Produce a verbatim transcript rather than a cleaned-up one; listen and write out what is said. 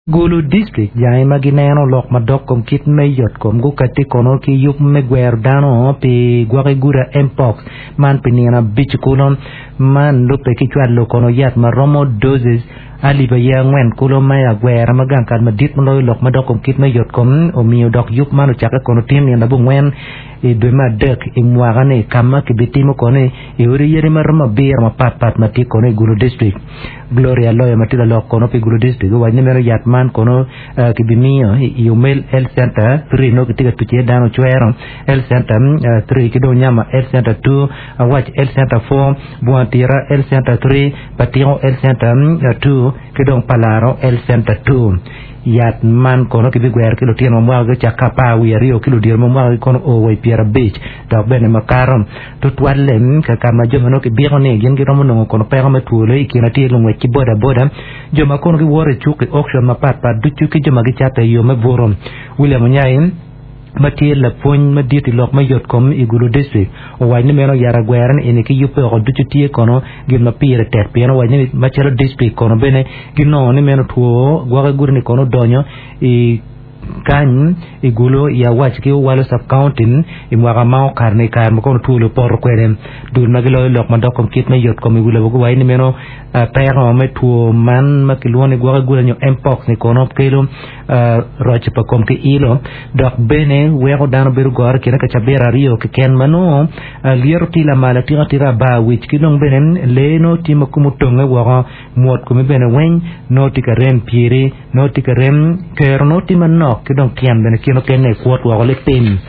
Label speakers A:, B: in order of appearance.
A: Gulu District jangi ma gineno lok madok kom kit me yotkom gukati kono ki yub me gwero dano pi gwoki guda mpox man pi nino abic kulo man lubbe ki cwalo kono yat ma romo doses alip aye angwen kulo me agwera ma gang kal madit maloyo lok madok kom kit me yotkom omiyo dok yub man ocakke kono tin nino abongwen i dwe me adek i mwaka-ni ka ma kibitimo kono i odi yadi ma romo abiro mapatpat ma tye kono i Gulu District. Gloria Loyo ma tye lalok kono pi Gulu District owaco ni meno yat man kono uh, kibimiyo i Omel Health Center three nongo kitye ka tuco iye dano ocwero Health Center uh, three ki dong Nyama Health Center two, Awac Health Center four, Bwantira Health Center three, Patiko Health Center uh, two ki dong Palaro Health Center two. Yat man kono kibigwero ki lutino ma mwakagi ocakke apar wiye aryo ki ludito ma mwakagi kono o wa i pyerabic dok bene makato. Tutwalle ka ka ma jo ma nongo kibiko ni gin giromo nongo kono peko me twolo i kine tye lungwec ki boda boda, jo ma kono giwoto i cuk i auction mapatpat ducu ki jo ma gicato i yo me buto. William Onyai ma tye lapwony madit i lok me yotkom i Gulu District owaco ni meno yat agwera ni eni ki yubbe oko ducu tye kono gin ma pire tek pien owaco ni macalo district kono bene ginongo ni meno two gwoki gudi ni kono odonyo i kany i Gulu i Awac ki Owalo sub-county i mwaka ma okato ni i kare ma kono two opoto kwede. Dul ma giloyo lok madok kom kit me yotkom i wi lobo guwaco ni meno peko me two man ma kilwongo ni gwoki gudi nyo mpox ni kono kelo roc pa kom ki ilo dok bene weko dano bedo goro i kine ka cabit aryo keken ma nongo lyeto tye lamal atika atika bar wic ki dong bene lee nongo tye ma kome otonge woko mwot komi bene weng nongo tye ka rem pyeri nongo tye ka rem kero nongo tye manok ki dong tyen bene kine okene kwot woko lipim.